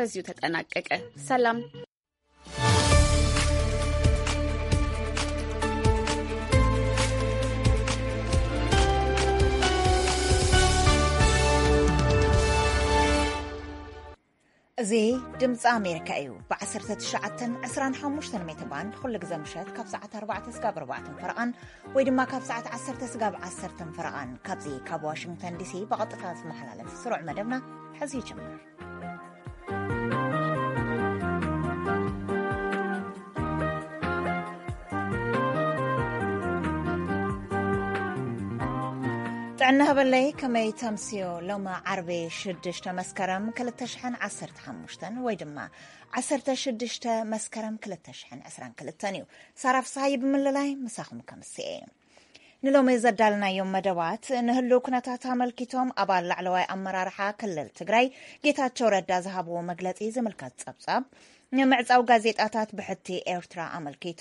በዚሁ ተጠናቀቀ። ሰላም። እዚ ድምፂ ኣሜሪካ እዩ። ብ19 25 ሜትር ባንድ ኩሉ ግዜ ምሸት ካብ ሰዓት ኣርባዕተ ስጋብ ኣርባዕተ ፈረቓን ወይ ድማ ካብ ሰዓት ዓሰርተ ስጋብ ዓሰርተ ፈረቓን ካብዚ ካብ ዋሽንግተን ዲሲ ብቐጥታ ዝመሓላለፍ ስሩዕ መደብና ሕዚ ይጅምር። ጥዕና ሃበለይ፣ ከመይ ተምስዮ? ሎማ ዓርቢ ሽዱሽተ መስከረም ክልተ ሽሕን ዓሰርተ ሓሙሽተን ወይ ድማ ዓሰርተ ሽዱሽተ መስከረም ክልተ ሽሕን ዕስራን ክልተን እዩ። ሳራ ፍስሃይ ብምልላይ ምሳኹም ከምስኤ። ንሎሚ ዘዳልናዮም መደባት፣ ንህልው ኩነታት ኣመልኪቶም ኣባል ላዕለዋይ ኣመራርሓ ክልል ትግራይ ጌታቸው ረዳ ዝሃብዎ መግለጺ ዝምልከት ጸብጻብ፣ ንምዕጻው ጋዜጣታት ብሕቲ ኤርትራ ኣመልኪቱ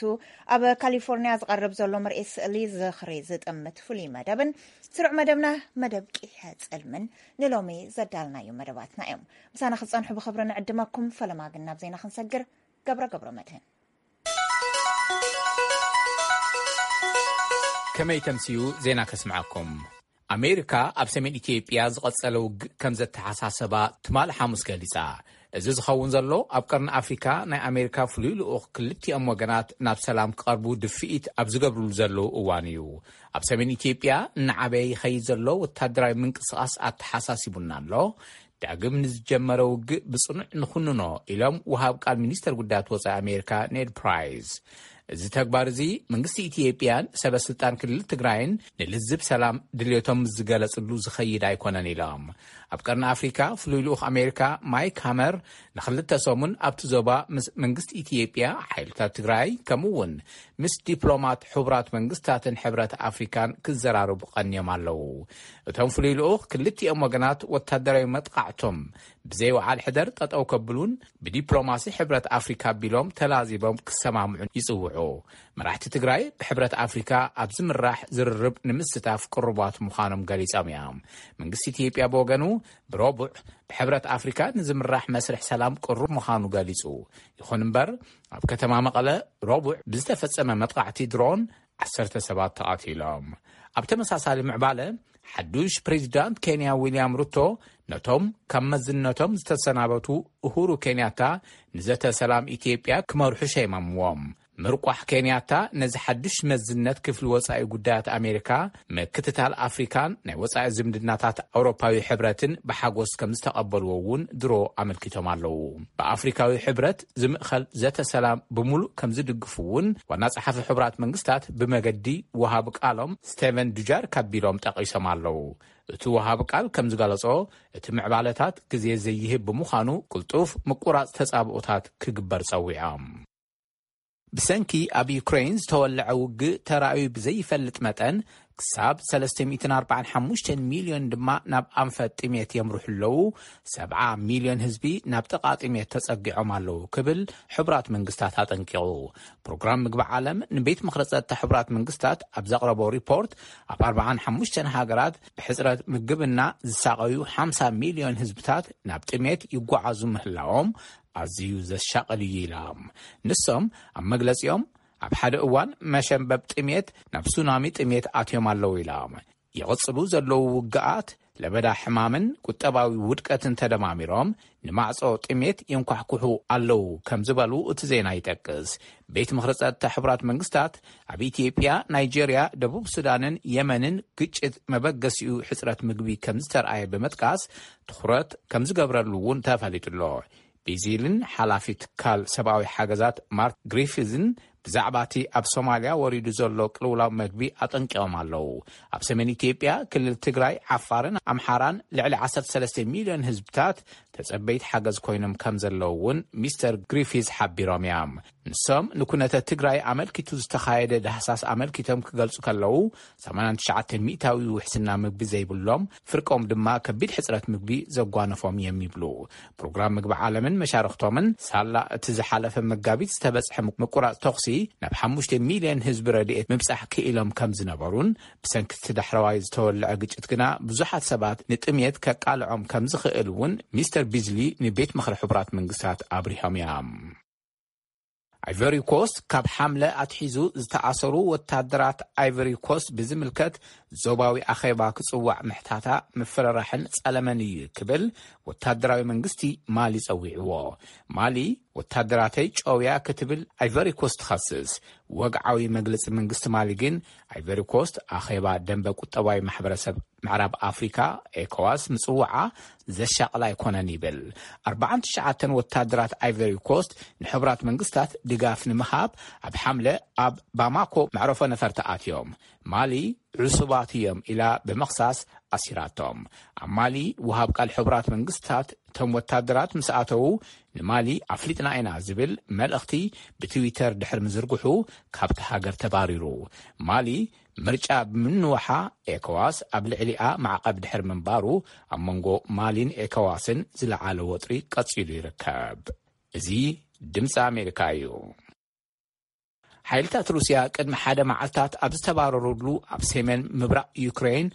ኣብ ካሊፎርኒያ ዝቐርብ ዘሎ ምርኢት ስእሊ ዝኽሪ ዝጥምት ፍሉይ መደብን ስሩዕ መደብና መደብ ቂሐ ጽልምን ንሎሚ ዘዳልናዮም መደባትና እዮም። ምሳና ክጸንሑ ብኽብሪ ንዕድመኩም። ፈለማ ግን ናብ ዜና ክንሰግር። ገብረ ገብረ መድህን። ከመይ ተምስዩ ዜና ከስምዓኩም። ኣሜሪካ ኣብ ሰሜን ኢትዮጵያ ዝቐጸለ ውግእ ከም ዘተሓሳሰባ ትማሊ ሓሙስ ገሊጻ። እዚ ዝኸውን ዘሎ ኣብ ቀርኒ ኣፍሪካ ናይ ኣሜሪካ ፍሉይ ልኡኽ ክልቲኦም ወገናት ናብ ሰላም ክቐርቡ ድፍኢት ኣብ ዝገብርሉ ዘለዉ እዋን እዩ። ኣብ ሰሜን ኢትዮጵያ እናዓበየ ይኸይድ ዘሎ ወታደራዊ ምንቅስቓስ ኣተሓሳሲቡና ኣሎ። ዳግም ንዝጀመረ ውግእ ብጽኑዕ ንኹንኖ ኢሎም ወሃብ ቃል ሚኒስተር ጉዳያት ወጻኢ ኣሜሪካ ኔድ ፕራይስ። እዚ ተግባር እዚ መንግስቲ ኢትዮጵያን ሰበ ስልጣን ክልል ትግራይን ንልዝብ ሰላም ድልየቶም ዝገለጽሉ ዝኸይድ ኣይኮነን ኢሎም። ኣብ ቀርኒ ኣፍሪካ ፍሉይ ልኡኽ ኣሜሪካ ማይክ ሃመር ንኽልተ ሰሙን ኣብቲ ዞባ ምስ መንግስቲ ኢትዮጵያ፣ ሓይልታት ትግራይ ከምኡ እውን ምስ ዲፕሎማት ሕቡራት መንግስታትን ሕብረት ኣፍሪካን ክዘራረቡ ቀንዮም ኣለዉ። እቶም ፍሉይ ልኡኽ ክልቲኦም ወገናት ወታደራዊ መጥቃዕቶም ብዘይ ወዓል ሕደር ጠጠው ከብሉን ብዲፕሎማሲ ሕብረት ኣፍሪካ ኣቢሎም ተላዚቦም ክሰማምዑን ይጽውዑ። መራሕቲ ትግራይ ብሕብረት ኣፍሪካ ኣብ ዝምራሕ ዝርርብ ንምስታፍ ቅሩባት ምዃኖም ገሊጾም እዮም። መንግስቲ ኢትዮጵያ ብወገኑ ብረቡዕ ብሕብረት ኣፍሪካ ንዝምራሕ መስርሕ ሰላም ቅሩብ ምዃኑ ገሊጹ። ይኹን እምበር ኣብ ከተማ መቐለ ረቡዕ ብዝተፈጸመ መጥቃዕቲ ድሮን ዓሰርተ ሰባት ተቓቲሎም። ኣብ ተመሳሳሊ ምዕባለ ሓዱሽ ፕሬዚዳንት ኬንያ ዊልያም ሩቶ ነቶም ካብ መዝነቶም ዝተሰናበቱ ኡሁሩ ኬንያታ ንዘተ ሰላም ኢትዮጵያ ክመርሑ ሸይሞምዎም። ምርቋሕ ኬንያታ ነዚ ሓዱሽ መዝነት ክፍሊ ወጻኢ ጉዳያት ኣሜሪካ፣ ምክትታል ኣፍሪካን ናይ ወጻኢ ዝምድናታት ኣውሮፓዊ ሕብረትን ብሓጎስ ከም ዝተቐበልዎ እውን ድሮ ኣመልኪቶም ኣለዉ። ብኣፍሪካዊ ሕብረት ዝምእኸል ዘተ ሰላም ብምሉእ ከም ዝድግፉ እውን ዋና ጸሓፊ ሕቡራት መንግስታት ብመገዲ ወሃቢ ቃሎም ስቴቨን ዱጃር ካቢሎም ጠቒሶም ኣለዉ። እቲ ወሃቢ ቃል ከም ዝገለጾ፣ እቲ ምዕባለታት ግዜ ዘይህብ ብምዃኑ ቅልጡፍ ምቁራጽ ተጻብኦታት ክግበር ጸዊዖም። ብሰንኪ ኣብ ዩክሬን ዝተወልዐ ውግእ ተራእዩ ብዘይፈልጥ መጠን ክሳብ ሰለስተ ሚእትን ኣርባዓን ሓሙሽተን ሚልዮን ድማ ናብ ኣንፈት ጥሜት የምርሑ ኣለዉ። ሰብዓ ሚልዮን ህዝቢ ናብ ጥቓ ጥሜት ተጸጊዖም ኣለዉ ክብል ሕቡራት መንግስታት ኣጠንቂቑ። ፕሮግራም ምግቢ ዓለም ንቤት ምኽሪ ጸጥታ ሕቡራት መንግስታት ኣብ ዘቕረቦ ሪፖርት ኣብ ኣርባዓን ሓሙሽተን ሃገራት ብሕጽረት ምግብና ዝሳቐዩ ሓምሳ ሚልዮን ህዝብታት ናብ ጥሜት ይጓዓዙ ምህላዎም ኣዝዩ ዘሻቕል እዩ ኢሎም። ንሶም ኣብ መግለጺኦም ኣብ ሓደ እዋን መሸንበብ ጥሜት ናብ ሱናሚ ጥሜት ኣትዮም ኣለዉ ኢሎም። ይቕጽሉ ዘለዉ ውግኣት ለበዳ ሕማምን ቁጠባዊ ውድቀትን ተደማሚሮም ንማዕጾ ጥሜት የንኳሕኩሑ ኣለዉ ከም ዝበሉ እቲ ዜና ይጠቅስ። ቤት ምኽሪ ጸጥታ ሕቡራት መንግስታት ኣብ ኢትዮጵያ፣ ናይጄርያ፣ ደቡብ ሱዳንን የመንን ግጭት መበገሲኡ ሕጽረት ምግቢ ከም ዝተርኣየ ብምጥቃስ ትኹረት ከም ዝገብረሉ እውን ተፈሊጡ ኣሎ። ቤዚልን ሓላፊ ትካል ሰብኣዊ ሓገዛት ማርክ ግሪፊዝን ብዛዕባ እቲ ኣብ ሶማልያ ወሪዱ ዘሎ ቅልውላው መግቢ ኣጠንቂቖም ኣለዉ። ኣብ ሰሜን ኢትዮጵያ ክልል ትግራይ፣ ዓፋርን ኣምሓራን ልዕሊ ዓሰርተ ሰለስተ ሚልዮን ህዝብታት ተጸበይቲ ሓገዝ ኮይኖም ከም ዘለዉ እውን ሚስተር ግሪፊዝ ሓቢሮም እዮም። ንሶም ንኩነተ ትግራይ ኣመልኪቱ ዝተኻየደ ዳህሳስ ኣመልኪቶም ክገልጹ ከለዉ፣ ሰማንያን ትሽዓተ ሚእታዊ ውሕስና ምግቢ ዘይብሎም፣ ፍርቆም ድማ ከቢድ ሕጽረት ምግቢ ዘጓነፎም እዮም ይብሉ። ፕሮግራም ምግቢ ዓለምን መሻርኽቶምን ሳላ እቲ ዝሓለፈ መጋቢት ዝተበጽሐ ምቁራጽ ተኹሲ ናብ ሓሙሽተ ሚልዮን ህዝቢ ረድኤት ምብጻሕ ክኢሎም ከም ዝነበሩን፣ ብሰንኪ እቲ ዳሕረዋይ ዝተወልዐ ግጭት ግና ብዙሓት ሰባት ንጥምየት ከቃልዖም ከም ዝኽእል እውን ሚስተር ቢዝሊ ንቤት ምኽሪ ሕቡራት መንግስታት ኣብሪሆም እዮም። ኣይቨሪ ኮስት ካብ ሓምለ ኣትሒዙ ዝተኣሰሩ ወታደራት ኣይቨሪ ኮስት ብዝምልከት ዞባዊ ኣኼባ ክጽዋዕ ምሕታታ ምፍርራሕን ጸለመን እዩ ክብል ወታደራዊ መንግስቲ ማሊ ጸዊዕዎ። ማሊ ወታደራተይ ጨውያ ክትብል ኣይቨሪ ኮስት ትኸስስ። ወግዓዊ መግለጺ መንግስቲ ማሊ ግን ኣይቨሪ ኮስት ኣኼባ ደንበ ቁጠባዊ ማሕበረሰብ ምዕራብ ኣፍሪካ ኤኮዋስ ምጽዋዓ ዘሻቕል ኣይኮነን ይብል። ኣርባዓን ትሽዓተን ወታደራት ኣይቨሪ ኮስት ንሕቡራት መንግስታት ድጋፍ ንምሃብ ኣብ ሓምለ ኣብ ባማኮ መዕረፎ ነፈርቲ ኣትዮም። ማሊ ዕሱባት እዮም ኢላ ብምኽሳስ ኣሲራቶም። ኣብ ማሊ ወሃብ ቃል ሕቡራት መንግስታት እቶም ወታደራት ምስ ኣተዉ ንማሊ ኣፍሊጥና ኢና ዝብል መልእኽቲ ብትዊተር ድሕሪ ምዝርግሑ ካብቲ ሃገር ተባሪሩ። ማሊ ምርጫ ብምንዋሓ ኤኮዋስ ኣብ ልዕሊኣ ማዕቐብ ድሕሪ ምንባሩ ኣብ መንጎ ማሊን ኤኮዋስን ዝለዓለ ወጥሪ ቀጺሉ ይርከብ። እዚ ድምፂ ኣሜሪካ እዩ። ሓይልታት ሩስያ ቅድሚ ሓደ መዓልታት ኣብ ዝተባረሩሉ ኣብ ሰሜን ምብራቕ ዩክሬን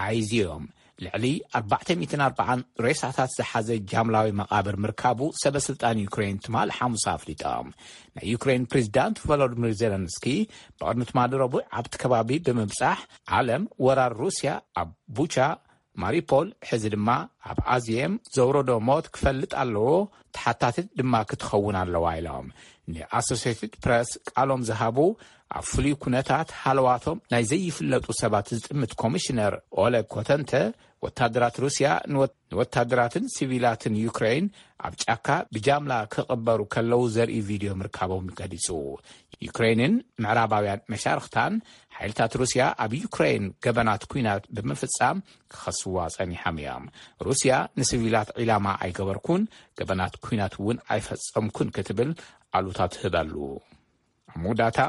ኣይዝዮም ልዕሊ ኣርባዕተ ሚእትን ኣርባዓን ሬሳታት ዝሓዘ ጃምላዊ መቓብር ምርካቡ ሰበ ስልጣን ዩክሬን ትማል ሓሙስ ኣፍሊጦም። ናይ ዩክሬን ፕሬዚዳንት ቮሎዲሚር ዜለንስኪ ብቕድሚ ትማሊ ረቡዕ ኣብቲ ከባቢ ብምብጻሕ ዓለም ወራር ሩስያ ኣብ ቡቻ ማሪፖል ሕዚ ድማ ኣብ ኣዝየም ዘውረዶ ሞት ክፈልጥ ኣለዎ፣ ተሓታቲት ድማ ክትኸውን ኣለዋ ኢሎም ንኣሶሴትድ ፕረስ ቃሎም ዝሃቡ ኣብ ፍሉይ ኩነታት ሃለዋቶም ናይ ዘይፍለጡ ሰባት ዝጥምት ኮሚሽነር ኦለግ ኮተንተ ወታደራት ሩስያ ንወታደራትን ሲቪላትን ዩክሬን ኣብ ጫካ ብጃምላ ክቕበሩ ከለዉ ዘርኢ ቪድዮ ምርካቦም ገሊጹ። ዩክሬንን ምዕራባውያን መሻርኽታን ሓይልታት ሩስያ ኣብ ዩክሬን ገበናት ኲናት ብምፍጻም ክኸስዋ ጸኒሖም እዮም። ሩስያ ንሲቪላት ዒላማ ኣይገበርኩን፣ ገበናት ኲናት እውን ኣይፈጸምኩን ክትብል ኣሉታ ትህበሉ። ኣብ መወዳእታ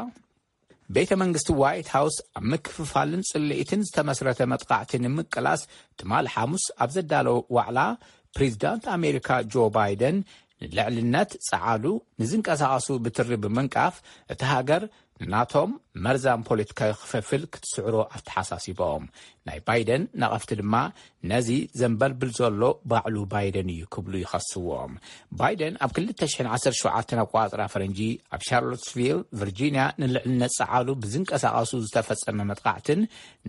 ቤተ መንግስቲ ዋይት ሃውስ ኣብ ምክፍፋልን ጽልኢትን ዝተመስረተ መጥቃዕቲ ንምቅላስ ትማል ሓሙስ ኣብ ዘዳለወ ዋዕላ ፕሬዚዳንት ኣሜሪካ ጆ ባይደን ንልዕልነት ጸዓዱ ንዝንቀሳቐሱ ብትሪ ብምንቃፍ እቲ ሃገር ንናቶም መርዛም ፖለቲካዊ ክፍፍል ክትስዕሮ ኣተሓሳሲቦም። ናይ ባይደን ነቐፍቲ ድማ ነዚ ዘንበልብል ዘሎ ባዕሉ ባይደን እዩ ክብሉ ይኸስዎም። ባይደን ኣብ ክልተ ሽሕን ዓሰርተ ሸውዓተን ኣቆጻጽራ ፈረንጂ ኣብ ሻርሎትስቪል ቨርጂንያ ንልዕልነት ጸዓዱ ብዝንቀሳቐሱ ዝተፈጸመ መጥቃዕትን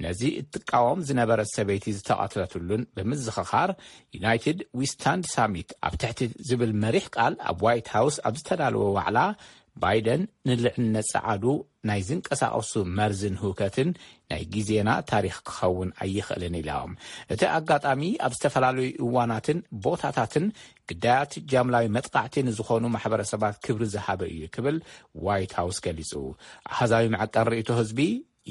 ነዚ እትቃወም ዝነበረት ሰበይቲ ዝተቐትለትሉን ብምዝኽኻር ዩናይትድ ዊ ስታንድ ሳሚት ኣብ ትሕቲ ዝብል መሪሕ ቃል ኣብ ዋይት ሃውስ ኣብ ዝተዳለወ ዋዕላ ባይደን ንልዕልነት ጸዓዱ ናይ ዝንቀሳቐሱ መርዝን ህውከትን ናይ ግዜና ታሪኽ ክኸውን ኣይኽእልን ኢሎም። እቲ ኣጋጣሚ ኣብ ዝተፈላለዩ እዋናትን ቦታታትን ግዳያት ጃምላዊ መጥቃዕቲ ንዝኾኑ ማሕበረሰባት ክብሪ ዝሃበ እዩ ክብል ዋይት ሃውስ ገሊጹ። ኣሃዛዊ መዐቀን ርእይቶ ህዝቢ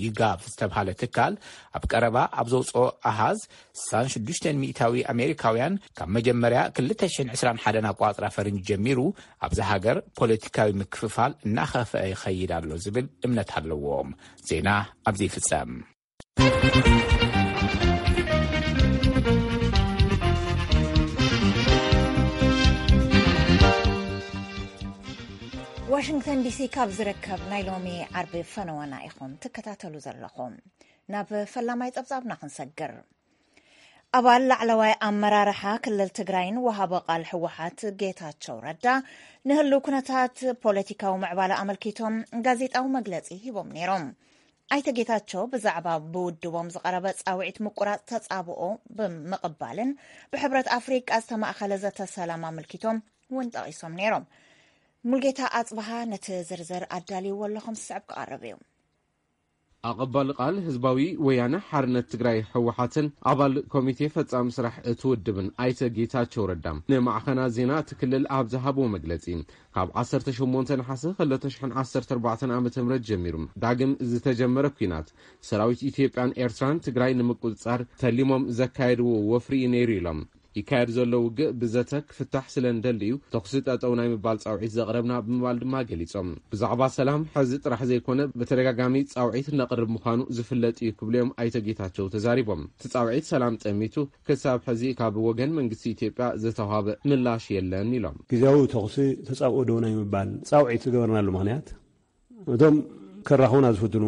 ዩጋቭ ዝተብሃለ ትካል ኣብ ቀረባ ኣብ ዘውፅኦ ኣሃዝ ስሳን ሽዱሽተን ሚእታዊ ኣሜሪካውያን ካብ መጀመርያ ክልተ ሽሕን ዕስራን ሓደን ኣቋፅራ ፈረንጂ ጀሚሩ ኣብዛ ሃገር ፖለቲካዊ ምክፍፋል እናኸፍአ ይኸይድ ኣሎ ዝብል እምነት ኣለዎም። ዜና ኣብዚ ይፍጸም። ዋሽንግተን ዲሲ ካብ ዝርከብ ናይ ሎሚ ዓርቢ ፈነወና ኢኹም ትከታተሉ ዘለኹም። ናብ ፈላማይ ጸብጻብና ክንሰግር። ኣባል ላዕለዋይ ኣመራርሓ ክልል ትግራይን ወሃቢ ቃል ህወሓት ጌታቸው ረዳ ንህልው ኩነታት ፖለቲካዊ ምዕባለ ኣመልኪቶም ጋዜጣዊ መግለጺ ሂቦም ነይሮም። ኣይተ ጌታቸው ብዛዕባ ብውድቦም ዝቐረበ ጻውዒት ምቁራጽ ተጻብኦ ብምቕባልን ብሕብረት ኣፍሪቃ ዝተማእኸለ ዘተ ሰላም ኣመልኪቶም እውን ጠቒሶም ነይሮም። ሙልጌታ ኣጽብሃ ነቲ ዝርዝር ኣዳልይዎ ኣለኹም ዝስዕብ ክቐርብ እዩ። ኣቐባሊ ቃል ህዝባዊ ወያነ ሓርነት ትግራይ ህወሓትን ኣባል ኮሚቴ ፈጻሚ ስራሕ እቲ ውድብን ኣይተ ጌታቸው ረዳ ንማዕኸናት ዜና እቲ ክልል ኣብ ዝሃብዎ መግለጺ፣ ካብ ዓሰርተ ሸሞንተ ነሓሰ ክልተ ሽሕን ዓሰርተ ኣርባዕተን ዓመተ ምህረት ጀሚሩ ዳግም ዝተጀመረ ኲናት ሰራዊት ኢትዮጵያን ኤርትራን ትግራይ ንምቁጽጻር ተሊሞም ዘካየድዎ ወፍሪ እዩ ነይሩ ኢሎም። ይካየድ ዘሎ ውግእ ብዘተ ክፍታሕ ስለ እንደሊ እዩ ተኹሲ ጠጠው ናይ ምባል ጻውዒት ዘቕረብና ብምባል ድማ ገሊጾም። ብዛዕባ ሰላም ሕዚ ጥራሕ ዘይኮነ ብተደጋጋሚ ጻውዒት ነቕርብ ምዃኑ ዝፍለጥ እዩ ክብሉ እዮም ኣይተ ጌታቸው ተዛሪቦም። እቲ ጻውዒት ሰላም ጠሚቱ ክሳብ ሕዚ ካብ ወገን መንግስቲ ኢትዮጵያ ዝተዋህበ ምላሽ የለን ኢሎም። ግዜያዊ ተኹሲ ተጻብኦ ደው ናይ ምባል ጻውዒት ዝገበርናሉ ምኽንያት እቶም ከራኸቡና ዝፍትኑ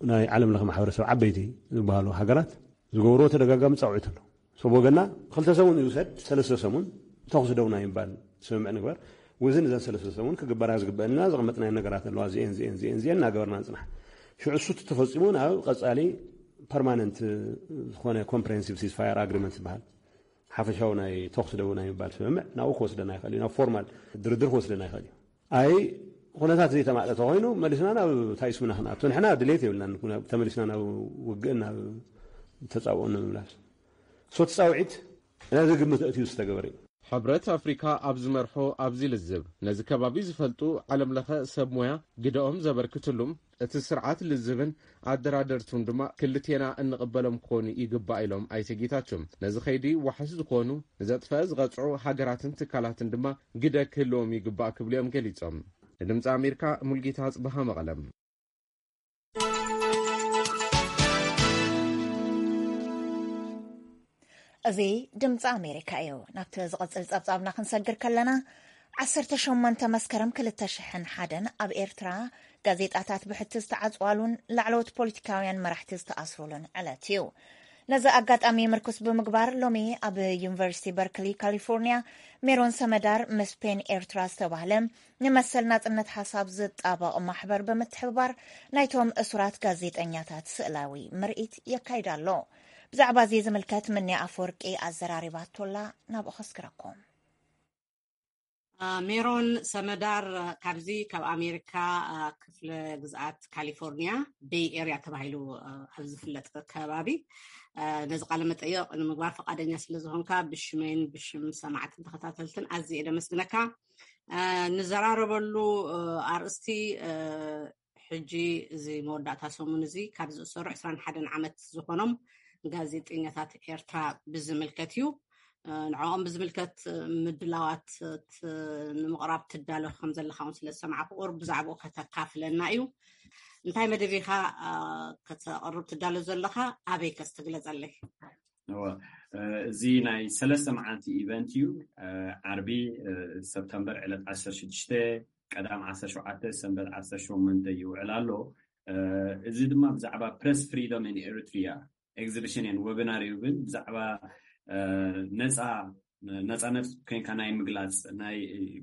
ናይ ዓለም ለኸ ማሕበረሰብ ዓበይቲ ዝበሃሉ ሃገራት ዝገብርዎ ተደጋጋሚ ፃውዒት ኣሎ። ሰብ ወገና ክልተ ሰሙን ይውሰድ፣ ሰለስተ ሰሙን ተኹሲ ደው ናይ ምባል ስምምዕ ንግበር። ውዝን እዘን ሰለስተ ሰሙን ክግበራ ዝግበአና ዘቐመጥናዮ ነገራት ኣለዋ። እዚኤን እዚኤን እዚኤን እዚኤን እናገበርና ንፅናሕ። ሽዑ እሱ ተፈፂሙ ናብ ቀፃሊ ፐርማነንት ዝኾነ ኮምፕሬንሲቭ ሲስፋየር ኣግሪመንት ዝበሃል ሓፈሻዊ ናይ ተኹሲ ደው ናይ ምባል ስምምዕ ናብኡ ክወስደና ይኽእል እዩ። ናብ ፎርማል ድርድር ክወስደና ይኽእል እዩ። ኣይ ኩነታት ዘይተማዕጠ ተኮይኑ መሊስና ናብ ታይስምና ክንኣቱ ንሕና ድሌት የብልናን። ተመሊስና ናብ ውግእን ናብ ተጻብኦን ንምምላስ ሶ ተጻውዒት ነዚ ግምት እትዩ ዝተገበረ እዩ። ሕብረት ኣፍሪካ ኣብ ዝመርሖ ኣብዚ ልዝብ ነዚ ከባቢ ዝፈልጡ ዓለም ለኸ ሰብ ሞያ ግደኦም ዘበርክትሉም እቲ ስርዓት ልዝብን ኣደራደርቱን ድማ ክልቴና እንቕበሎም ክኾኑ ይግባእ ኢሎም ኣይተ ጌታቸው። ነዚ ኸይዲ ዋሕስ ዝኾኑ ንዘጥፈአ ዝቐፅዑ ሃገራትን ትካላትን ድማ ግደ ክህልዎም ይግባእ ክብሉ እዮም ገሊፆም። ንድምፂ ኣሜሪካ ሙልጌታ ኣፅበሃ መቐለም። እዚ ድምፂ ኣሜሪካ እዩ። ናብቲ ዝቕፅል ፀብፃብና ክንሰግር ከለና ዓሰርተ ሸሞንተ መስከረም ክልተ ሽሕን ሓደን ኣብ ኤርትራ ጋዜጣታት ብሕቲ ዝተዓፅዋሉን ላዕለዎት ፖለቲካውያን መራሕቲ ዝተኣስሩሉን ዕለት እዩ። ነዚ ኣጋጣሚ ምርኩስ ብምግባር ሎሚ ኣብ ዩኒቨርሲቲ በርክሊ ካሊፎርኒያ ሜሮን ሰመዳር ምስ ፔን ኤርትራ ዝተባህለ ንመሰል ናጽነት ሓሳብ ዝጣበቕ ማሕበር ብምትሕብባር ናይቶም እሱራት ጋዜጠኛታት ስእላዊ ምርኢት የካይድ ኣሎ። ብዛዕባ እዚ ዝምልከት ምንያ ኣፈወርቂ ኣዘራሪባቶላ ናብኡ ከስግረኩም። ሜሮን ሰመዳር ካብዚ ካብ ኣሜሪካ ክፍለ ግዝኣት ካሊፎርኒያ ቤይ ኤርያ ተባሂሉ ኣብ ዝፍለጥ ከባቢ ነዚ ቃለ መጠየቕ ንምግባር ፈቃደኛ ስለ ዝኾንካ ብሽመይን ብሽም ሰማዕትን ተኸታተልትን ኣዝየ ደመስግነካ። ንዘራረበሉ ኣርእስቲ ሕጂ እዚ መወዳእታ ሰሙን እዚ ካብ ዝእሰሩ ዕስራን ሓደን ዓመት ዝኾኖም ጋዜጠኛታት ኤርትራ ብዝምልከት እዩ። ንዕኦም ብዝምልከት ምድላዋት ንምቕራብ ትዳሎ ከም ዘለኻ እውን ስለ ዝሰማዕኩ ቁሩብ ብዛዕባኡ ከተካፍለና እዩ። እንታይ መደብ ኢኻ ከተቕርብ ትዳሎ ዘለኻ? ኣበይ ከስ ትግለጸለይ? እዚ ናይ ሰለስተ መዓልቲ ኢቨንት እዩ። ዓርቢ ሰፕተምበር ዕለት ዓሰርተ ሽዱሽተ፣ ቀዳም ዓሰርተ ሸውዓተ፣ ሰንበት ዓሰርተ ሸሞንተ ይውዕል ኣሎ። እዚ ድማ ብዛዕባ ፕረስ ፍሪደም ን ኤሪትሪያ ኤግዚቢሽን ን ወብናር እዩ። ግን ብዛዕባ ነፃ ነፃነት ኮይንካ ናይ ምግላፅ ናይ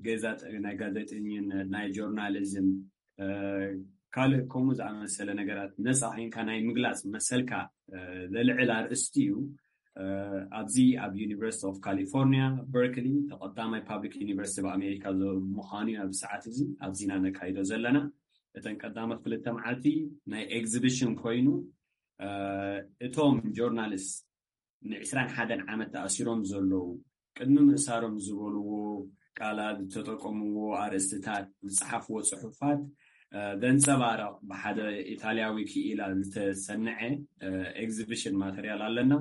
ገዛ ናይ ጋዜጠኝነት ናይ ጆርናሊዝም ካልእ ከምኡ ዝኣመሰለ ነገራት ነፃ ኮይንካ ናይ ምግላፅ መሰልካ ዘልዕል ኣርእስቲ እዩ። ኣብዚ ኣብ ዩኒቨርሲቲ ኦፍ ካሊፎርኒያ በርክሊ ተቐዳማይ ፓብሊክ ዩኒቨርሲቲ ኣብ ኣሜሪካ ምዃኑ እዩ ኣብዚ ሰዓት እዚ ኣብዚ ኢና ነካይዶ ዘለና። እተን ቀዳሞት ክልተ መዓልቲ ናይ ኤግዚቢሽን ኮይኑ እቶም ጆርናሊስት ንዕስራን ሓደን ዓመት ተኣሲሮም ዘለዉ ቅድሚ ምእሳሮም ዝበልዎ ቃላት ዝተጠቀምዎ ኣርእስትታት ዝፀሓፍዎ ፅሑፋት ዘንፀባረቕ ብሓደ ኢታልያዊ ክኢላ ዝተሰንዐ ኤግዚቢሽን ማተርያል ኣለና።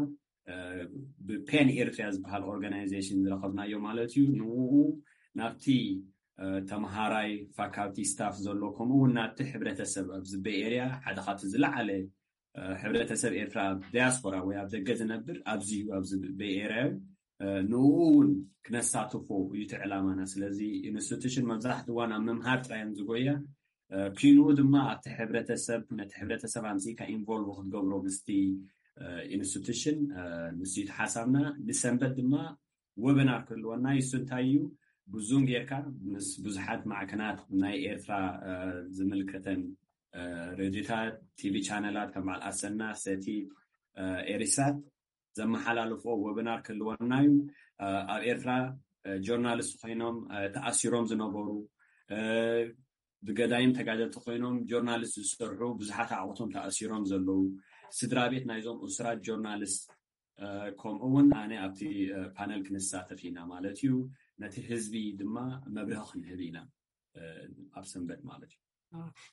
ብፔን ኤርትሪያ ዝበሃል ኦርጋናይዜሽን ዝረኸብናዮ ማለት እዩ። ንኡ ናብቲ ተምሃራይ ፋካልቲ ስታፍ ዘሎ ከምኡ እውን ናብቲ ሕብረተሰብ ኣብዚ ቤይ ኤርያ ሓደ ካብቲ ዝለዓለ ሕብረተሰብ ኤርትራ ኣብ ዲያስፖራ ወይ ኣብ ደገ ዝነብር ኣብዚ እዩ ኣብዚ ቤይ ኤርያ እዩ። ንኡ እውን ክነሳትፎ እዩ እቲ ዕላማና። ስለዚ ኢንስቲቱሽን መብዛሕትኡ እዋን ኣብ ምምሃር ጥራይ እዮም ዝጎያ። ኪንኡ ድማ ኣብቲ ሕብረተሰብ ነቲ ሕብረተሰብ ኣምፅእካ ኢንቮልቭ ክትገብሮ ምስቲ ኢንስቲቱሽን ንሱ እዩ ሓሳብና። ንሰንበት ድማ ወበናር ክህልወና እዩ። እሱ እንታይ እዩ? ብዙም ጌርካ ምስ ብዙሓት ማዕከናት ናይ ኤርትራ ዝምልከተን ሬድዮታት፣ ቲቪ ቻነላት ከም በዓል ኣሰና፣ ሰቲ፣ ኤሪሳት ዘመሓላልፎ ወብናር ክህልወና እዩ። ኣብ ኤርትራ ጆርናሊስት ኮይኖም ተኣሲሮም ዝነበሩ፣ ብገዳይም ተጋደልቲ ኮይኖም ጆርናሊስት ዝሰርሑ ብዙሓት ኣዕቑቶም ተኣሲሮም ዘለዉ፣ ስድራ ቤት ናይዞም እሱራት ጆርናሊስት ከምኡ እውን ኣነ ኣብቲ ፓነል ክንሳተፍ ኢና ማለት እዩ። ነቲ ህዝቢ ድማ መብርሂ ክንህብ ኢና ኣብ ሰንበት ማለት እዩ።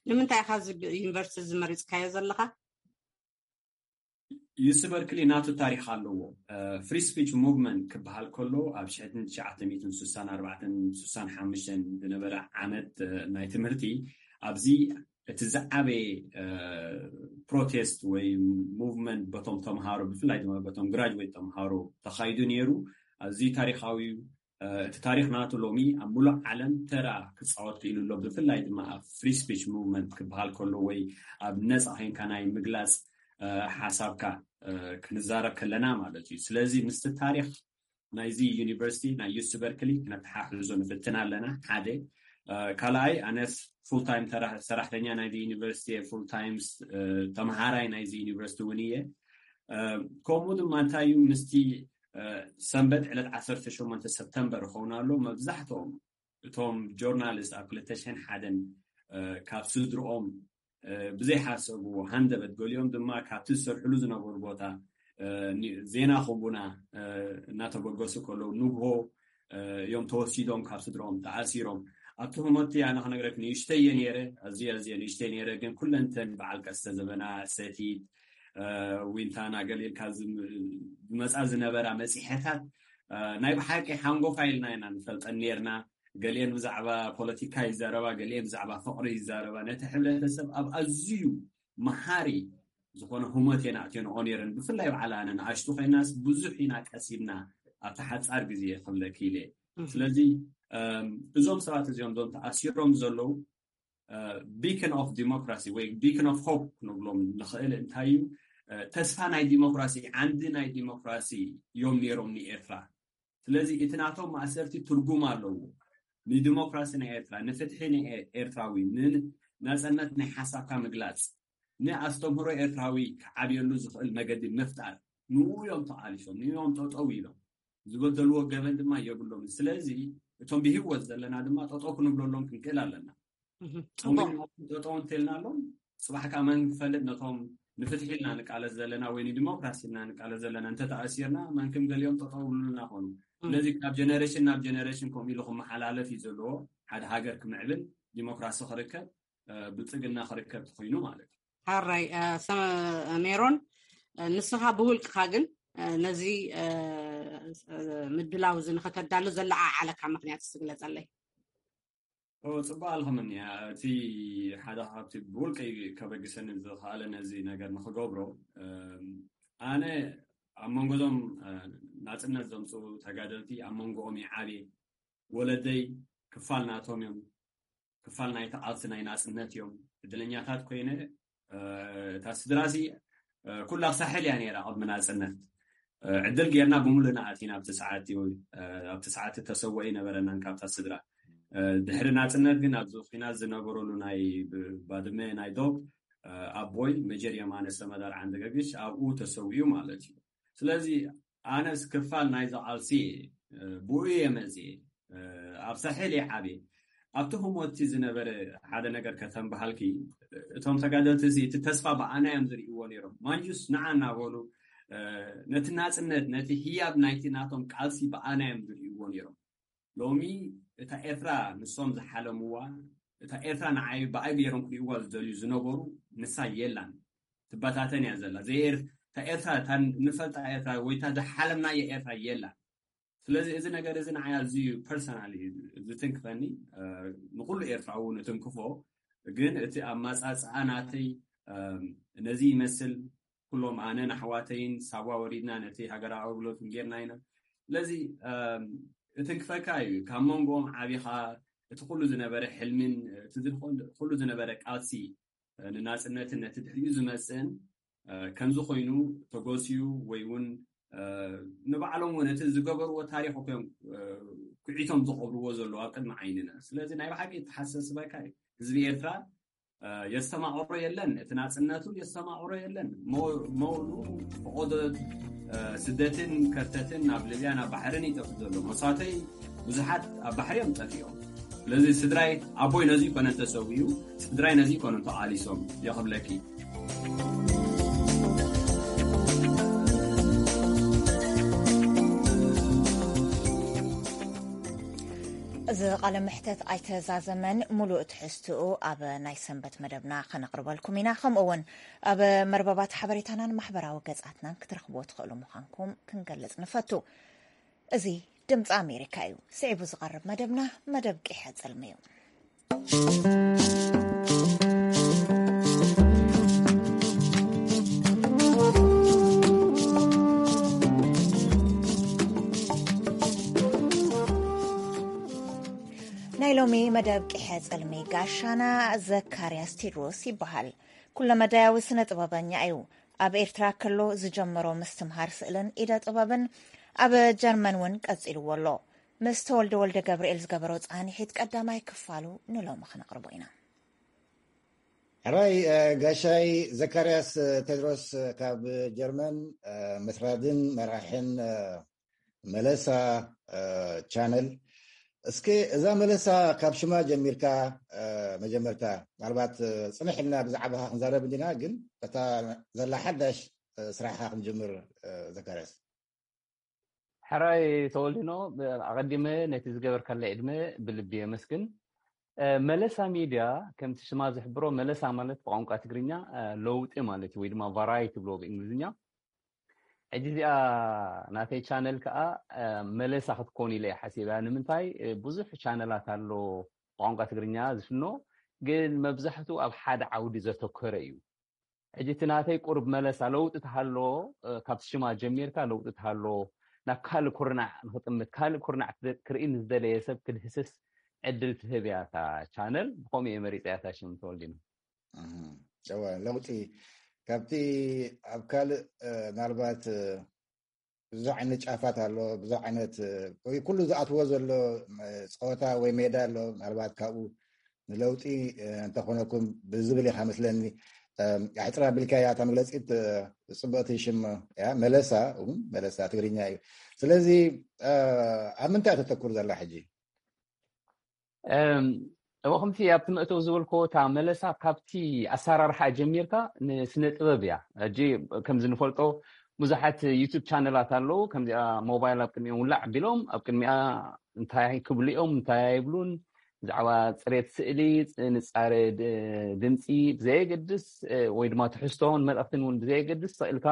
ንምንታይ ኢኻ እዚ ዩኒቨርሲቲ እዚ መሪፅካዮ ዘለኻ? ዩሲ በርክሊ ናቱ ታሪክ ኣለዎ። ፍሪ ስፒች ሙቭመንት ክበሃል ከሎ ኣብ ሽሕን ትሽዓተ ሚእትን ስሳን ኣርባዕተን ስሳን ሓሙሽተን ዝነበረ ዓመት ናይ ትምህርቲ ኣብዚ እቲ ዝዓበየ ፕሮቴስት ወይ ሙቭመንት በቶም ተምሃሮ ብፍላይ ድማ በቶም ግራጅዌት ተምሃሮ ተኻይዱ ነይሩ። ኣዝዩ ታሪካዊ እቲ ታሪኽ ናቱ ሎሚ ኣብ ሙሉእ ዓለም ተራ ክፃወት ክኢሉ ኣሎ። ብፍላይ ድማ ኣብ free speech movement ክበሃል ከሎ ወይ ኣብ ነፃ ኮይንካ ናይ ምግላፅ ሓሳብካ ክንዛረብ ከለና ማለት እዩ። ስለዚ ምስቲ ታሪኽ ናይዚ ዩኒቨርሲቲ ናይ ዩስት በርክሊ ክነተሓሕዞ ንፍትን ኣለና። ሓደ ካልኣይ ኣነስ full time ሰራሕተኛ ናይዚ ዩኒቨርሲቲ፣ full time ተምሃራይ ናይዚ ዩኒቨርሲቲ እውን እየ። ከምኡ ድማ እንታይ እዩ ምስቲ ሰንበት ዕለት ዓሰርተ ሸሞንተ ሰፕተምበር ይኸውን ኣሎ። መብዛሕትኦም እቶም ጆርናሊስት ኣብ ክልተ ሽሕን ሓደን ካብ ስድርኦም ብዘይሓሰብዎ ሃንደበት፣ ገሊኦም ድማ ካብቲ ዝሰርሕሉ ዝነበሩ ቦታ ዜና ክቡና እናተበገሱ ከለዉ ንግሆ እዮም ተወሲዶም፣ ካብ ስድርኦም ተኣሲሮም። ኣብቲ ህሞቲ ኣነ ክነግረክ ንእሽተይ እየ ነይረ፣ ኣዝየ ኣዝየ ንእሽተይ ነይረ፣ ግን ኩለንተን በዓል ቀስተ ዘበና፣ ሰቲት፣ ዊንታና ገሊልካ ዝመፃ ዝነበራ መፂሐታት ናይ ብሓቂ ሓንጎፋ ኢልና ኢና ንፈልጠን ነርና። ገሊአን ብዛዕባ ፖለቲካ ይዛረባ፣ ገሊአን ብዛዕባ ፍቕሪ ይዛረባ። ነቲ ሕብረተሰብ ኣብ ኣዝዩ መሃሪ ዝኾነ ህሞት እየን ኣእትዮንኦ ነይረን። ብፍላይ በዓል ኣነ ንኣሽቱ ኮይናስ ብዙሕ ኢና ቀሲምና ኣብቲ ሓፃር ግዜ ክብለኪ ኢለ። ስለዚ እዞም ሰባት እዚኦም እዞም ተኣሲሮም ዘለዉ beacon of democracy ወይ beacon of hope ክንብሎም ንኽእል እንታይ እዩ? ተስፋ ናይ ዲሞክራሲ፣ ዓንዲ ናይ ዲሞክራሲ እዮም ነይሮም ንኤርትራ። ስለዚ እቲ ናቶም ማእሰርቲ ትርጉም ኣለዎ። ንዲሞክራሲ ናይ ኤርትራ፣ ንፍትሒ ናይ ኤርትራዊ፣ ንናጽነት ናይ ሓሳብካ ምግላጽ፣ ንኣስተምህሮ ኤርትራዊ ክዓብየሉ ዝኽእል መገዲ ምፍጣር፣ ንኡ እዮም ተቓሊሶም፣ ንኡ እዮም ጠጠው ኢሎም። ዝበደልዎ ገበን ድማ የብሎም። ስለዚ እቶም ብህይወት ዘለና ድማ ጠጠው ክንብለሎም ክንክእል ኣለና። ጠጠው እንተልናሎም፣ ጽባሕ ከዓ መን ክፈልጥ፣ ነቶም ንፍትሒ ኢልና ንቃለስ ዘለና ወይ ንዲሞክራሲ ኢልና ንቃለስ ዘለና እንተተኣሲርና፣ መንክም ገሊኦም ጠጠው ብሉልና ኾኑ። ስለዚ ካብ ጀነሬሽን ናብ ጀነሬሽን ከምኡ ኢሉ ክመሓላለፍ እዩ ዘለዎ። ሓደ ሃገር ክምዕብል፣ ዲሞክራሲ ክርከብ፣ ብልጽግና ክርከብ ተኾይኑ ማለት እዩ። ሓራይ ሜሮን፣ ንስኻ ብውልቅኻ ግን ነዚ ምድላው እዚ ንኸተዳሉ ዘለዓዓለካ ምክንያት ትግለጸለይ? ጽቡቅ ኣልኸምኒ። እቲ ሓደ ካብቲ ብውልቀይ ከበግሰኒ ዝኸኣለ ነዚ ነገር ንክገብሮ፣ ኣነ ኣብ መንጎ ዞም ናጽነት ዘምፅኡ ተጋደልቲ ኣብ መንጎኦም ይዓብየ። ወለደይ ክፋል ናቶም እዮም። ክፋል ናይቲ ቃልሲ ናይ ናጽነት እዮም። ዕድለኛታት ኮይነ፣ እታ ስድራሲ ኩላ ሳሕል እያ ነይራ ቅድሚ ናጽነት። ዕድል ጌርና ብምሉእና ኣቲና ኣብቲ ሰዓት፣ ኣብቲ ሰዓት ተሰወኢ ነበረናን ካብታ ስድራ። ድሕሪ ናጽነት ግን ኣብዚ ኩናት ዝነበረሉ ናይ ባድመ ናይ ዶብ ኣቦይ መጀር የማነ ሰመዳር ዓንደገግሽ ኣብኡ ተሰዊኡ ማለት እዩ። ስለዚ ኣነስ ክፋል ናይዚ ቃልሲ ብኡ እየ መፅየ። ኣብ ሳሕል እየ ዓብየ። ኣብቲ ህሞቲ ዝነበረ ሓደ ነገር ከተንበሃልኪ፣ እቶም ተጋደልቲ እዚ እቲ ተስፋ ብኣና እዮም ዝርእይዎ ነይሮም። ማንጁስ ንዓ እናበሉ ነቲ ናፅነት፣ ነቲ ህያብ ናይቲ ናቶም ቃልሲ ብኣና እዮም ዝርእይዎ ነይሮም። ሎሚ እታ ኤርትራ ንሶም ዝሓለምዋ፣ እታ ኤርትራ ንዓይ ብኣይ ገይሮም ክርእይዋ ዝደልዩ ዝነበሩ ንሳ የላን። ትበታተን እያ ዘላ። እታ ኤርትራ፣ እታ ንፈልጣ ኤርትራ ወይ እታ ዝሓለምናዮ ኤርትራ የላን። ስለዚ እዚ ነገር እዚ ንዓይ ኣዝዩ ፐርሰናል እዩ ዝትንክፈኒ። ንኩሉ ኤርትራዊ እውን እትንክፎ፣ ግን እቲ ኣማጻጽኣ ናተይ ነዚ ይመስል። ኩሎም ኣነን ኣሕዋተይን ሳዋ ወሪድና ነቲ ሃገራዊ ኣገልግሎት ጌርና ኢና። ስለዚ እትንክፈካ እዩ። ካብ መንጎኦም ዓቢኻ እቲ ኩሉ ዝነበረ ሕልምን እቲ ኩሉ ዝነበረ ቃልሲ ንናጽነትን ነቲ ድሕሪኡ ዝመጽእን ከምዚ ኮይኑ ተጎስዩ ወይ እውን ንባዕሎም እውን እቲ ዝገበርዎ ታሪኽ እኮ እዮም ኩዒቶም ዝቐብርዎ ዘለዉ ኣብ ቅድሚ ዓይንና። ስለዚ ናይ ብሓቂ የተሓሳስበካ እዩ። ህዝቢ ኤርትራ የስተማቕሮ የለን፣ እቲ ናጽነቱ የስተማቕሮ የለን። መውሉ ፈቖዶ ስደትን ከርተትን ናብ ሊብያ ናብ ባሕርን ይጠፍእ ዘሎ። መሳተይ ብዙሓት ኣብ ባሕሪ እዮም ጠፊኦም። ስለዚ ስድራይ ኣቦይ ነዚ ኮነ እንተሰዊኡ ስድራይ ነዚ ኮነ እንተቓሊሶም የኽብለኪ። እዚ ቃለ መሕተት ኣይተዛዘመን፣ ሙሉእ ትሕዝትኡ ኣብ ናይ ሰንበት መደብና ከነቕርበልኩም ኢና። ከምኡ እውን ኣብ መርበባት ሓበሬታናን ማሕበራዊ ገጻትናን ክትረኽብዎ ትኽእሉ ምዃንኩም ክንገልጽ ንፈቱ። እዚ ድምፂ ኣሜሪካ እዩ። ስዒቡ ዝቐርብ መደብና መደብ ቂሐ ጽልሚ እዩ። ናይ ሎሚ መደብ ቂሐ ጸልሚ ጋሻና ዘካርያስ ቴድሮስ ይበሃል። ኩለ መዳያዊ ስነ ጥበበኛ እዩ። ኣብ ኤርትራ ከሎ ዝጀመሮ ምስትምሃር ስእልን ኢደ ጥበብን ኣብ ጀርመን እውን ቀጺልዎ ኣሎ። ምስ ተወልደ ወልደ ገብርኤል ዝገበሮ ጻንሒት ቀዳማይ ክፋሉ ንሎሚ ክነቕርቦ ኢና። ሕራይ ጋሻይ ዘካርያስ ቴድሮስ ካብ ጀርመን፣ መስራድን መራሕን መለሳ ቻነል። እስኪ እዛ መለሳ ካብ ሽማ ጀሚርካ፣ መጀመርታ ምናልባት ጽንሕ ኢልና ብዛዕባኻ ክንዛረብ እንዲና፣ ግን እታ ዘላ ሓዳሽ ስራሕኻ ክንጅምር። ዘካርያስ ሕራይ ተወልዲኖ፣ ኣቐዲመ ነቲ ዝገበርካለ ዕድመ ብልቢ የመስግን። መለሳ ሚድያ ከምቲ ሽማ ዝሕብሮ፣ መለሳ ማለት ብቋንቋ ትግርኛ ለውጢ ማለት እዩ፣ ወይ ድማ ቫራይቲ ብሎ ብእንግሊዝኛ። ሕጂ እዚኣ ናተይ ቻነል ከዓ መለሳ ክትኮን ኢለ ሓሲበያ። ንምንታይ? ብዙሕ ቻነላት ኣሎ ብቋንቋ ትግርኛ ዝፍኖ፣ ግን መብዛሕቱ ኣብ ሓደ ዓውዲ ዘተኮረ እዩ። ሕጂ እቲ ናተይ ቁርብ መለሳ ለውጢ ተሃሎ፣ ካብቲ ሽማ ጀሚርካ ለውጢ ተሃሎ ናብ ካልእ ኩርናዕ ንክጥምት፣ ካልእ ኩርናዕ ክርኢ ንዝደለየ ሰብ ክድህስስ ዕድል ትህብ እያ እታ ቻነል። ብኸምኡ እየ መሪፀያ እታ ሽም ተወልዲና። ለውጢ ካብቲ ኣብ ካልእ ምናልባት ብዙሕ ዓይነት ጫፋት ኣሎ፣ ብዙሕ ዓይነት ወይ ኩሉ ዝኣትዎ ዘሎ ፀወታ ወይ ሜዳ ኣሎ። ምናልባት ካብኡ ንለውጢ እንተኾነኩም ብዝብል ኢኻ መስለኒ ኣሕፅር ኣቢልካያ እታ መግለፂት። ፅብቕቲ ሽም እያ፣ መለሳ እውን መለሳ ትግርኛ እዩ። ስለዚ ኣብ ምንታይ ተተኩር ዘላ ሕጂ? እወ፣ ከምቲ ኣብቲ መእተው ዝበልኮ እታ መለሳ ካብቲ ኣሰራርሓ ጀሚርካ ንስነ ጥበብ እያ። ሕጂ ከምዚ ንፈልጦ ብዙሓት ዩቱብ ቻነላት ኣለዉ። ከምዚኣ ሞባይል ኣብ ቅድሚኦም ውላዕ ኣቢሎም ኣብ ቅድሚኣ እንታይ ክብሉ እዮም እንታይ ኣይብሉን፣ ብዛዕባ ፅሬት ስእሊ፣ ንፃረ ድምፂ ብዘየገድስ ወይ ድማ ትሕዝቶን መልእክትን እውን ብዘየገድስ ስእልካ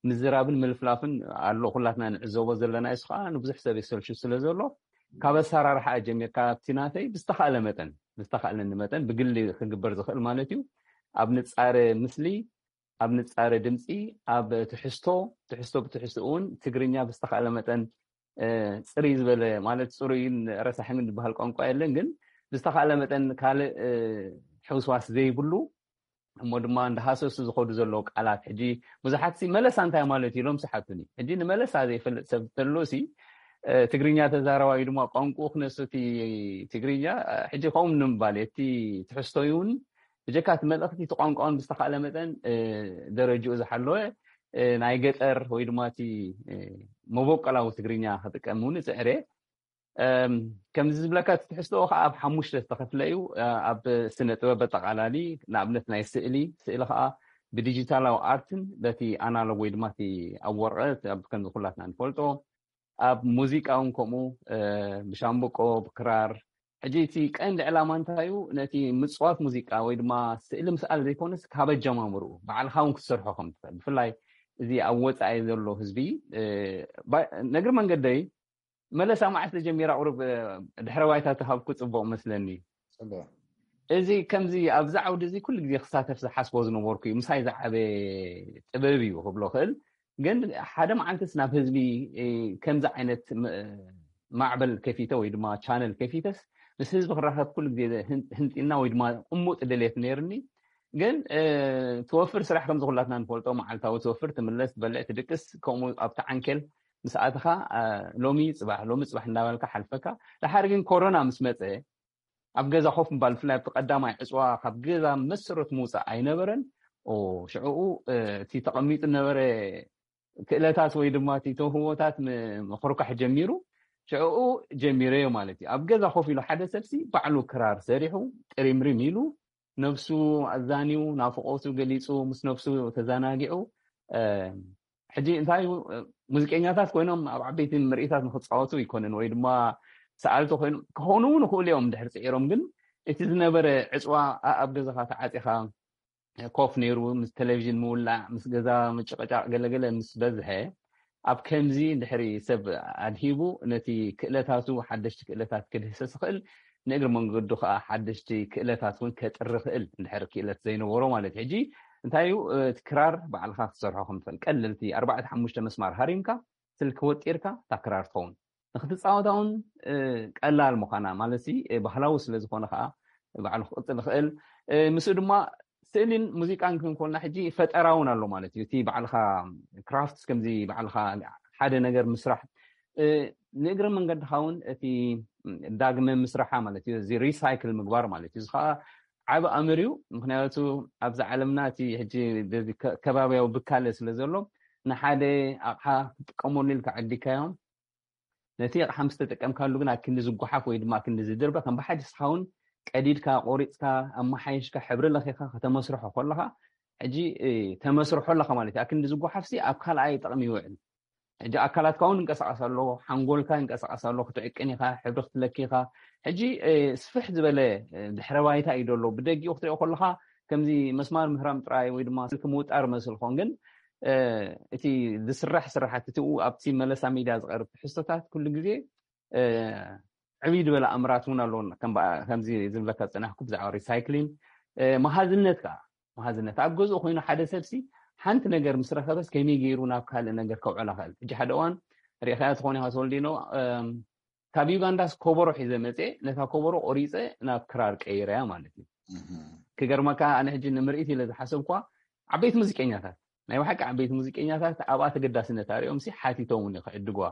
ምዝራብን ምልፍላፍን ኣሎ። ኩላትና ንዕዘቦ ዘለና እሱ ከዓ ንብዙሕ ሰብ የሰልሹ ስለ ዘሎ ካብ ኣሰራርሓ ጀሚርካ ኣብቲ ናተይ ብዝተኻእለ መጠን ብዝተኻእለኒ መጠን ብግሊ ክግበር ዝኽእል ማለት እዩ ኣብ ንፃረ ምስሊ፣ ኣብ ንፃረ ድምፂ፣ ኣብ ትሕዝቶ፣ ትሕዝቶ ብትሕዝቶ እውን ትግርኛ ብዝተኻእለ መጠን ፅርይ ዝበለ ማለት ፅሩይን ረሳሕን ዝበሃል ቋንቋ የለን፣ ግን ብዝተኻእለ መጠን ካልእ ሕውስዋስ ዘይብሉ እሞ ድማ እንዳሃሰሱ ዝኸዱ ዘለዉ ቃላት ሕጂ ብዙሓት ሲ መለሳ እንታይ ማለት እዩ ኢሎም ስሓቱኒ። ሕጂ ንመለሳ ዘይፈልጥ ሰብ ተሎ ሲ ትግርኛ ተዛረባዩ ድማ ቋንቁ ክነሱ እቲ ትግርኛ ሕጂ ከምኡ ንምባል እቲ ትሕዝቶዩ እውን ብጀካ እቲ መልእኽቲ እቲ ቋንቋውን ብዝተኻእለ መጠን ደረጅኡ ዝሓለወ ናይ ገጠር ወይ ድማ እቲ መበቆላዊ ትግርኛ ክጥቀም እውን እፅዕር እየ። ከምዚ ዝብለካ እቲ ትሕዝቶኡ ከዓ ኣብ ሓሙሽተ ዝተኸፍለ እዩ። ኣብ ስነ ጥበብ ኣጠቓላሊ ንኣብነት ናይ ስእሊ፣ ስእሊ ከዓ ብዲጂታላዊ ኣርትን በቲ ኣናሎግ ወይ ድማ እቲ ኣብ ወረቐት ኣብ ከምዚ ኩላትና ንፈልጦ፣ ኣብ ሙዚቃ እውን ከምኡ ብሻምብቆ ብክራር። ሕጂ እቲ ቀንዲ ዕላማ እንታይ እዩ? ነቲ ምፅዋት ሙዚቃ ወይ ድማ ስእሊ ምስኣል ዘይኮነስ ካብ ኣጀማምርኡ ባዕልካ እውን ክትሰርሖ ከም ትኽእል፣ ብፍላይ እዚ ኣብ ወፃኢ ዘሎ ህዝቢ። ነግሪ መንገደይ መለሳ መዓስ ተጀሚራ ቁሩብ ድሕረ ባይታ ተሃብኩ ፅቡቕ መስለኒ። ፅቡቕ። እዚ ከምዚ ኣብዚ ዓውዲ እዚ ኩሉ ግዜ ክሳተፍ ዝሓስቦ ዝነበርኩ እዩ። ምሳይ ዝዓበ ጥበብ እዩ ክብሎ ክእል። ግን ሓደ መዓልትስ ናብ ህዝቢ ከምዚ ዓይነት ማዕበል ከፊተ ወይ ድማ ቻነል ከፊተስ ምስ ህዝቢ ክራኸብ ኩሉ ግዜ ህንጢና ወይ ድማ እሙጥ ድሌት ነይርኒ። ግን ትወፍር ስራሕ ከምዚ ኩላትና ንፈልጦ መዓልታዊ ትወፍር ትምለስ ትበልዕ ትድቅስ ከምኡ ኣብቲ ዓንኬል ምስ ኣተኻ ሎሚ ፅባሕ ሎሚ ፅባሕ እንዳበልካ ሓልፈካ። ድሓር ግን ኮሮና ምስ መፀ ኣብ ገዛ ኮፍ ምባል ብፍላይ ኣብቲ ቀዳማይ ዕፅዋ ካብ ገዛ መሰረት ምውፃእ ኣይነበረን። ሽዕኡ እቲ ተቐሚጡ ነበረ ክእለታት ወይ ድማ እቲ ተውህቦታት ምኽርኳሕ ጀሚሩ። ሽዕኡ ጀሚረዮ ማለት እዩ። ኣብ ገዛ ኮፍ ኢሉ ሓደ ሰብሲ ባዕሉ ክራር ሰሪሑ ጥሪምሪም ኢሉ ነብሱ ኣዛንዩ ናፍቆቱ ገሊፁ ምስ ነብሱ ተዘናጊዑ። ሕጂ እንታይ እዩ ሙዚቀኛታት ኮይኖም ኣብ ዓበይቲ ምርኢታት ንክፃወቱ ይኮንን ወይ ድማ ሰኣልቲ ኮይኖም ክኾኑ እውን ይኽእሉ እዮም ድሕር ፅዒሮም። ግን እቲ ዝነበረ ዕፅዋ ኣብ ገዛኻ ተዓፂኻ ኮፍ ነይሩ ምስ ቴሌቪዥን ምውላዕ ምስ ገዛ ምጭቕጫቕ ገለገለ ምስ በዝሐ ኣብ ከምዚ ድሕሪ ሰብ ኣድሂቡ ነቲ ክእለታቱ ሓደሽቲ ክእለታት ክድህሰስ ይኽእል። ንእግሪ መንገዱ ከዓ ሓደሽቲ ክእለታት እውን ከጥሪ ክእል እንድሕር ክእለት ዘይነበሮ ማለት እዩ። ሕጂ እንታይ እዩ እቲ ክራር ባዕልካ ክትሰርሖ ከም ትኽእል ቀለልቲ ኣርባዕተ ሓሙሽተ መስማር ሃሪምካ ስልኪ ወጢርካ እታ ክራር ትኸውን። ንክትፃወታ እውን ቀላል ምዃና ማለት ባህላዊ ስለዝኾነ ከዓ ባዕሉ ክቅፅል ይኽእል። ምስኡ ድማ ስእሊን ሙዚቃን ክንኮልና ሕጂ ፈጠራ እውን ኣሎ ማለት እዩ። እቲ ባዕልካ ክራፍት ከምዚ ባዕልካ ሓደ ነገር ምስራሕ ንእግረ መንገድካ እውን እቲ ዳግመ ምስራሓ ማለት እዩ። እዚ ሪሳይክል ምግባር ማለት እዩ። እዚ ከዓ ዓብ ኣምር እዩ። ምክንያቱ ኣብዚ ዓለምና እቲ ሕጂ ከባቢያዊ ብካለ ስለ ዘሎ ንሓደ ኣቕሓ ክትጥቀመሉ ኢልካ ዓዲካዮም ነቲ ኣቕሓ ምስ ተጠቀምካሉ ግን ኣክንዲ ዝጓሓፍ ወይ ድማ ኣክንዲ ዝድርበ ከም ብሓድስካ እውን ቀዲድካ ቆሪፅካ ኣመሓየሽካ ሕብሪ ለኺኻ ከተመስርሖ ከለካ ሕጂ ተመስርሖ ኣለካ ማለት እዩ። ኣክንዲ ዝጓሓፍሲ ኣብ ካልኣይ ጥቕሚ ይውዕል። ሕጂ ኣካላትካ እውን እንቀሳቀስ ኣሎ፣ ሓንጎልካ እንቀሳቀስ ኣሎ፣ ክትዕቅን ኢኻ፣ ሕብሪ ክትለኪ ኢኻ። ሕጂ ስፍሕ ዝበለ ድሕረ ባይታ እዩ ዘሎ። ብደጊኡ ክትሪኦ ከለካ ከምዚ መስማር ምህራም ጥራይ ወይ ድማ ስልኪ ምውጣር መስል ኾን ግን እቲ ዝስራሕ ስራሓት እቲ ኣብቲ መለሳ ሚድያ ዝቐርብ ትሕዝቶታት ኩሉ ግዜ ዕብይ ዝበለ ኣምራት እውን ኣለዎ። ከምዚ ዝብለካ ዝፀናሕኩ ብዛዕባ ሪሳይክሊን መሃዝነት ከዓ መሃዝነት ኣብ ገዝኡ ኮይኑ ሓደ ሰብሲ ሓንቲ ነገር ምስ ረኸበስ ከመይ ገይሩ ናብ ካልእ ነገር ከውዕላ ክእል። ሕጂ ሓደ እዋን ሪእኻያ ትኾን ኢኻ ተወልዲኖ ካብ ዩጋንዳስ ኮበሮ ሒዘ መፅኤ ነታ ኮበሮ ቆሪፀ ናብ ክራር ቀይረያ ማለት እዩ። ክገርመካ ኣነ ሕጂ ንምርኢት ኢለ ዝሓሰብኳ ዓበይቲ ሙዚቀኛታት ናይ ብሓቂ ዓበይቲ ሙዚቀኛታት ኣብኣ ተገዳስነት ኣሪኦም ሲ ሓቲቶም እውን ክዕድግዋ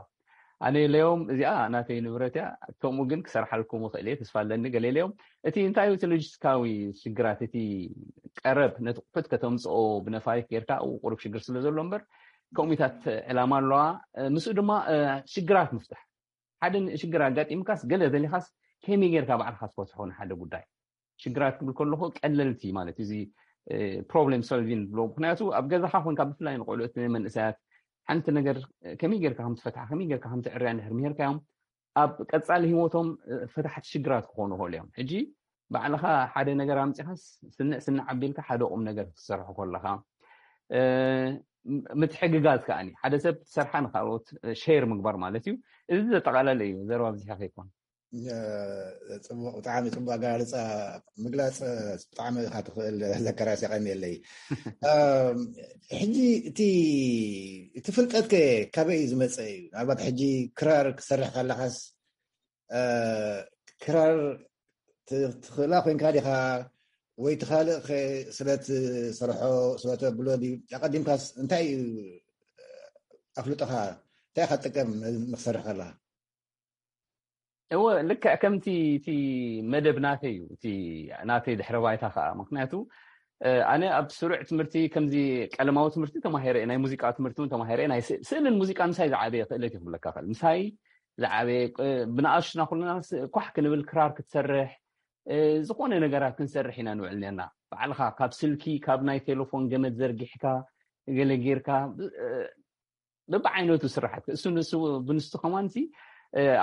ኣነ ኢለዮም እዚኣ ናተይ ንብረት እያ ከምኡ ግን ክሰርሓልኩም ክእል እየ ተስፋ ኣለኒ ገለ ኢለዮም። እቲ እንታይ እቲ ሎጂስቲካዊ ሽግራት እቲ ቀረብ ነቲ ቁሑት ከተምፅኦ ብነፋሪት ጌርካ ቁሩብ ሽግር ስለ ዘሎ እምበር ከምኡታት ዕላማ ኣለዋ። ምስኡ ድማ ሽግራት ምፍታሕ ሓደ ሽግር ኣጋጢምካስ ገለ ዘሊኻስ ከመይ ጌርካ ባዕልካ ትፈትሖ ንሓደ ጉዳይ ሽግራት ክብል ከለኹ ቀለልቲ ማለት እዚ problem solving ብሎ ምክንያቱ ኣብ ገዛኻ ኮንካ ብፍላይ ንቆልዑት መንእሰያት ሓንቲ ነገር ከመይ ጌርካ ከም ትፈትሓ ከመይ ጌርካ ከም ትዕርያ እንድሕር ምሄርካዮም ኣብ ቀፃሊ ህይወቶም ፈታሕቲ ሽግራት ክኾኑ ይኽእሉ እዮም። ሕጂ ባዕልኻ ሓደ ነገር ኣምፂኻስ ስንዕ ስንዕ ኣቢልካ ሓደ ቁም ነገር ክትሰርሑ ከለኻ ምትሕግጋዝ ከዓኒ ሓደ ሰብ ትሰርሓ ንካልኦት ሼር ምግባር ማለት እዩ። እዚ ዘጠቓለለ እዩ። ዘረባ ኣብዚሓ ከይኮን ጽቡቅ ብጣዕሚ ጽቡቅ ኣገላልጻ ምግላጽ ብጣዕሚ ኢካ ትኽእል ዘከራስ የቀንየለይ። ሕጂ እቲ እቲ ፍልጠት ከ ካበይ እዩ ዝመፀ እዩ? ምናልባት ሕጂ ክራር ክሰርሕ ከለካስ ክራር ትኽእላ ኮይንካ ዲካ ወይ ትካልእ ስለ ትሰርሖ ስለ ተብሎ ድዩ ኣቀዲምካስ እንታይ እዩ ኣፍልጦካ እንታይ ኢካ ትጥቀም ንክሰርሕ ከለካ? እወ ልክዕ ከምቲ እቲ መደብ ናተይ እዩ እቲ ናተይ ድሕረ ባይታ ከዓ ምክንያቱ ኣነ ኣብ ስሩዕ ትምህርቲ ከምዚ ቀለማዊ ትምህርቲ ተማሂረ ናይ ሙዚቃ ትምህርቲ እውን ተማሂረ ናይ ስእልን ሙዚቃ ምሳይ ዝዓበየ ክእለት ይክብለካ ክእል ምሳይ ዝዓበየ ብንኣሽና ኩልና ኳሕ ክንብል ክራር ክትሰርሕ ዝኾነ ነገራት ክንሰርሕ ኢና ንውዕል ነርና ባዕልካ ካብ ስልኪ ካብ ናይ ቴሌፎን ገመድ ዘርጊሕካ ገለ ጌርካ በብዓይነቱ ስራሓት እሱ ንሱ ብንሱ ከማንሲ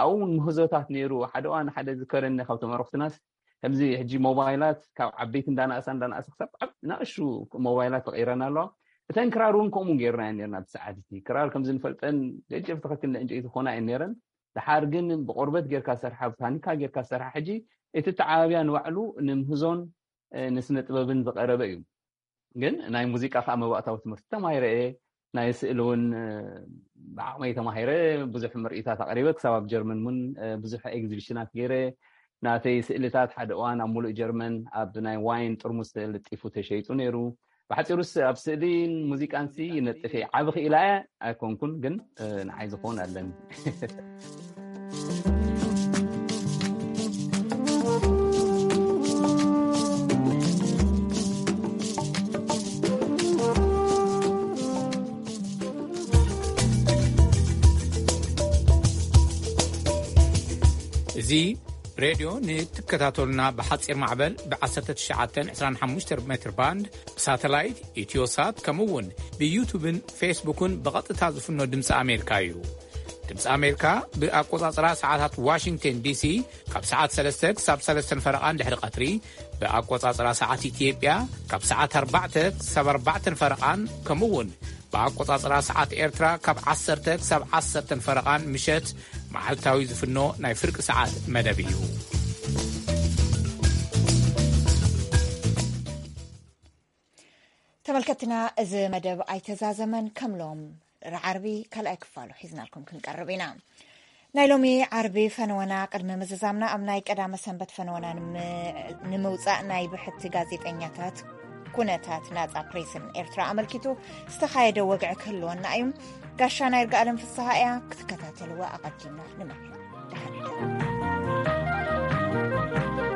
ኣብኡ እውን ምህዞታት ነይሩ ሓደ እዋን ሓደ ዝከረኒ ካብ ተመረክትናስ ከምዚ ሕጂ ሞባይላት ካብ ዓበይቲ እንዳናእሳ እንዳናእሳ ክሳብ ናእሹ ሞባይላት ተቀይረና ኣለዋ እተን ክራር እውን ከምኡ ገይርና ነርና ብሰዓት እቲ ክራር ከምዚ ንፈልጠን ገጀፍ ትኽክል ንዕንጨይቲ ክኾና እየን ነረን ድሓር ግን ብቆርበት ጌርካ ሰርሓ ብታኒካ ጌርካ ሰርሓ ሕጂ እቲ ተዓባብያ ንባዕሉ ንምህዞን ንስነ ጥበብን ዝቀረበ እዩ ግን ናይ ሙዚቃ ከዓ መባእታዊ ትምህርቲ ተማሂረ እየ ናይ ስእሊ እውን ብዓቕመይ ተማሂረ ብዙሕ ምርኢታት ኣቅሪበ ክሳብ ኣብ ጀርመን እውን ብዙሕ ኤግዚቢሽናት ገይረ ናተይ ስእልታት ሓደ እዋን ኣብ ሙሉእ ጀርመን ኣብ ናይ ዋይን ጥርሙስ ተልጢፉ ተሸይጡ ነይሩ ብሓፂሩስ ኣብ ስእሊን ሙዚቃንሲ ይነጥፍ እየ ዓቢ ክኢላ እየ ኣይኮንኩን ግን ንዓይ ዝኸውን ኣለኒ እዚ ሬድዮ ንትከታተሉና ብሓፂር ማዕበል ብ1925 ሜትር ባንድ ብሳተላይት ኢትዮሳት ከምኡ እውን ብዩቱብን ፌስቡክን ብቐጥታ ዝፍኖ ድምፂ ኣሜሪካ እዩ። ድምፂ ኣሜሪካ ብኣቆፃፅራ ሰዓታት ዋሽንግተን ዲሲ ካብ ሰዓት 3 ክሳብ 3 ፈረቓ ድሕሪ ቀትሪ ብኣቆፃፅራ ሰዓት ኢትዮጵያ ካብ ሰዓት 4 ክሳብ 4 ፈረቓን ከምኡ እውን ብኣቆፃፅራ ሰዓት ኤርትራ ካብ 10 ክሳብ 10 ፈረቓን ምሸት መዓልታዊ ዝፍኖ ናይ ፍርቂ ሰዓት መደብ እዩ። ተመልከትና እዚ መደብ ኣይተዛዘመን ከም ሎም ረዓርቢ ካልኣይ ክፋሉ ሒዝናልኩም ክንቀርብ ኢና። ናይ ሎሚ ዓርቢ ፈነወና ቅድሚ ምዝዛምና ኣብ ናይ ቀዳመ ሰንበት ፈነወና ንም-፣ ንምውጻእ ናይ ብሕቲ ጋዜጠኛታት ኩነታት ናጻ ፕሬስን ኤርትራ ኣመልኪቱ ዝተኻየደ ወግዒ ክህልወና እዩ። ጋሻ ናይ ርግኣለም ፍስሃ እያ ክትከታተልዋ ኣቐዲምና ንምሕል። ደሓን።